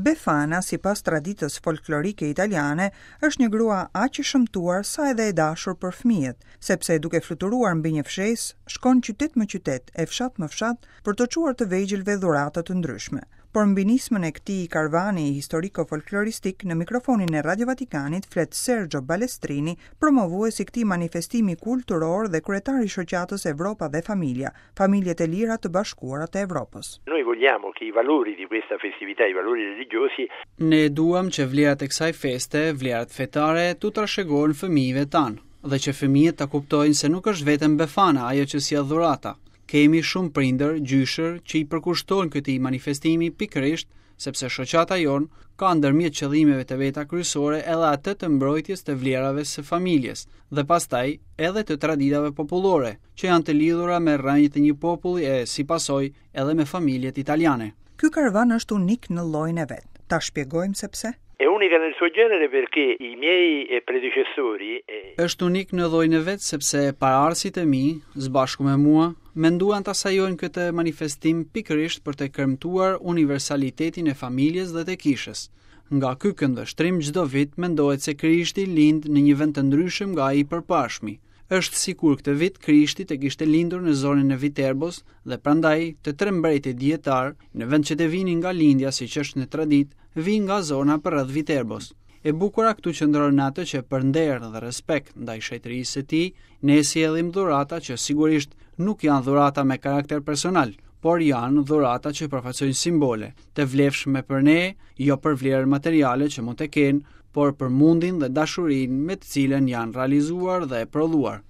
Befana, sipas traditës folklorike italiane, është një grua aq e shëmtuar sa edhe e dashur për fëmijët, sepse duke fluturuar mbi një fshesë, shkon qytet më qytet e fshat më fshat për të çuar të vegjëlve dhurata të ndryshme. Por mbi nismën e këtij karvani historiko-folkloristik në mikrofonin e Radio Vatikanit flet Sergio Balestrini, promovues i këtij manifestimi kulturor dhe kryetar i shoqatës Evropa dhe Familja, Familjet e lira të bashkuara të Evropës. Noi vogliamo che i valori di questa festività, i valori religiosi, Ne duam që vlerat e kësaj feste, vlerat fetare, t'u trashëgohen fëmijëve tanë dhe që fëmijët ta kuptojnë se nuk është vetëm Befana ajo që sjell dhurata. Kemi shumë prindër, gjyshër që i përkushtohen këtij manifestimi pikërisht sepse shoqata jonë ka ndërmjet qëllimeve të veta kryesore edhe atë të mbrojtjes të vlerave së familjes dhe pastaj edhe të traditave popullore, që janë të lidhura me rrënjët e një populli e, si pasojë, edhe me familjet italiane. Ky karvan është unik në llojin e vet. Ta shpjegojmë se pse? È unica nel suo genere perché i miei predecessori. Është unik në llojin e vet sepse paraardhësit e mi, së bashku me mua, menduan ta sajojnë këtë manifestim pikërisht për të kremtuar universalitetin e familjes dhe të kishës. Nga ky këndvështrim çdo vit mendohet se Krishti lind në një vend të ndryshëm nga ai i përparshmi. Është sikur këtë vit Krishti të kishte lindur në zonën e Viterbos dhe prandaj të tre mbretërit dijetarë, në vend që të vinin nga lindja siç është në traditë, vijnë nga zona përreth Viterbos. E bukura këtu qëndron në atë që për nder dhe respekt ndaj shenjtërisë së tij, ne sjellim dhurata që sigurisht nuk janë dhurata me karakter personal, por janë dhurata që përfaqësojnë simbole, të vlefshme për ne, jo për vlerën materiale që mund të kenë, por për mundin dhe dashurinë me të cilën janë realizuar dhe prodhuar.